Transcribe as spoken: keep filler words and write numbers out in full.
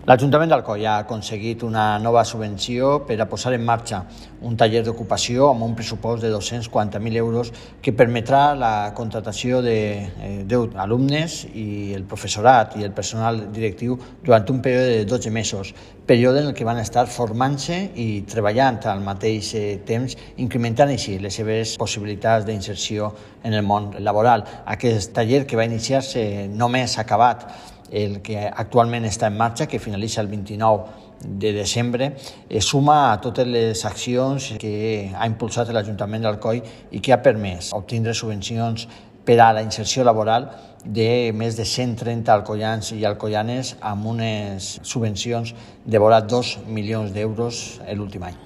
L'Ajuntament d'Alcoi ha aconseguit una nova subvenció per a posar en marxa un taller d'ocupació amb un pressupost de dos-cents quaranta mil euros que permetrà la contratació de deu alumnes i el professorat i el personal directiu durant un període de dotze mesos, període en el que van estar formant-se i treballant al mateix temps, incrementant així les seves possibilitats d'inserció en el món laboral. Aquest taller, que va iniciar-se només acabat el que actualment està en marxa, que finalitza el vint-i-nou de desembre, suma a totes les accions que ha impulsat l'Ajuntament d'Alcoi i que ha permès obtindre subvencions per a la inserció laboral de més de cent trenta alcoians i alcoianes amb unes subvencions de vora dos milions d'euros l'últim any.